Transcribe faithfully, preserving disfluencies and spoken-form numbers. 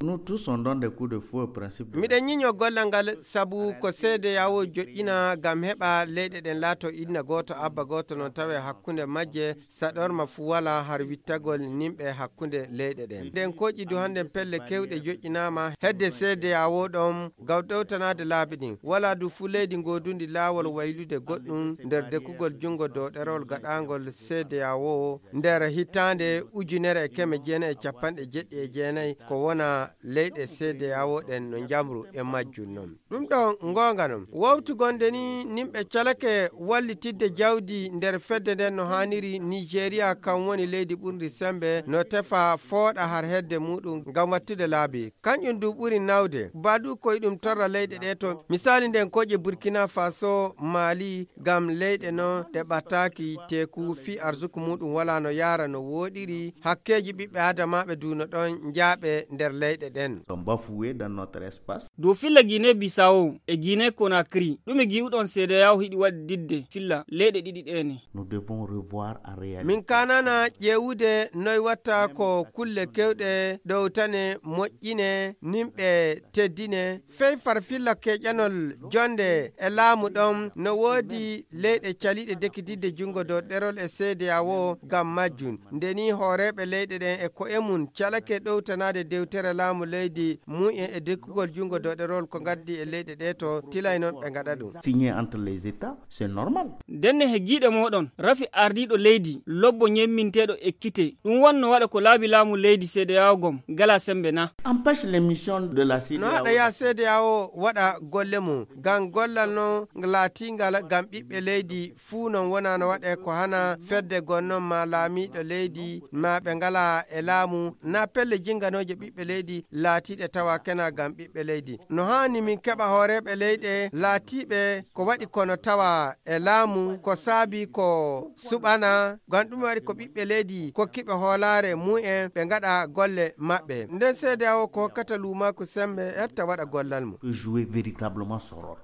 Nous tous, on donne des coups de fouet au principe de... Miɗen ñiño gollal ngal, sabu ko C D A O joƴƴina ngam heɓa leyɗe ɗen laato inna gooto, abba gooto, no tawe hakkunde majje, saɗorma fuu walaa har wittagol nimɓe hakkunde leyɗe ɗen. Nden kooƴi du hannden pelle kewɗe joƴƴinaama hedde C D A O ɗon ngam ɗowtanaade laabi ɗin. Walaa du fuu leydi goodundi laawol waylude goɗɗum nder dekkugol junngo dow ɗerewol gaɗaangol C D A O nder hitaande ujunere e keme jeenayi e capanɗe jeɗɗi e jeenayi, ko wona leyɗe C D A O ɗen no njamru e majjum non. Ɗum ɗon ngoonga non. Wowtu gonde ni nimɓe calake wallitidde jawdi nder fedde nden no haaniri, Nigeria kan woni leydi ɓurndi sembe no tefa fooɗa har hedde muɗum ngam wattude laabi. Kanƴum du ɓuri nawde. Ba du koy ɗum torra leyɗe ɗe to. Misali nden koƴe Burkina Faso, Mali, ngam leyɗe non ɗe ɓataaki teeku fii arsuku muɗum wala no yaara no wooɗiri. Hakkeeji ɓiɓɓe adamaaɓe du no ɗon njaaɓe nder leyɗe ɗen. Sont bafoués dans notre espace. Dow filla Guinée Bissau e Guinée Conakry, ɗume gi'uɗon C D A O hiɗi waɗididde filla leyɗe ɗiɗi ɗee ne? Nous devons revoir en réalité. Min kanana ƴeewude noy watta ko kulle kewɗe ɗowtane, moƴƴine, nimɓe teddine, fey far filla keƴanol jonde e laamu ɗon. No woodi leyɗe caliiɗe dekididde junngo dow ɗerol e C D A O ngam majjum. Nde nii hooreeɓe leyɗe ɗen e ko'e mum calake ɗowtanaade dewtere laamu leydi mu'en e dekkugol junngo dow ɗerol ko ngaddi e leyɗe ɗe to tilay non ɓe ngaɗa ɗum. Signé entre les États, c'est normal. Ndenne he giiɗe mooɗon, rafi ardiiɗo leydi, lobbo ñemminteeɗo ekkite. Ɗum wonno waɗa ko laabi laamu leydi C D A O gom, gala sembe na? Empêche les missions de la... No C D A O haɗa ya C D A O waɗa golle mum, ngam gollal non laatingal ngam ɓiɓɓe leydi fuu non wona no waɗe ko hana fedde gonnon ma laamiiɗo leydi ma ɓe ngala e laamu, na pelle jinganooje ɓiɓɓe leydi laatiiɗe tawa kena ngam ɓiɓɓe leydi. No haani min keɓa hooreeɓe leyɗe laatiiɓe ko waɗi kono tawa e laamu ko saabi ko suɓana, ngam ɗum waɗi ko ɓiɓɓe leydi kokkiɓe hoolaare mu'en ɓe ngaɗa golle maɓɓe. Nden C D A O ko hokkata luumaaku sembe etta waɗa gollal mum. Peut jouer véritablement son rôle.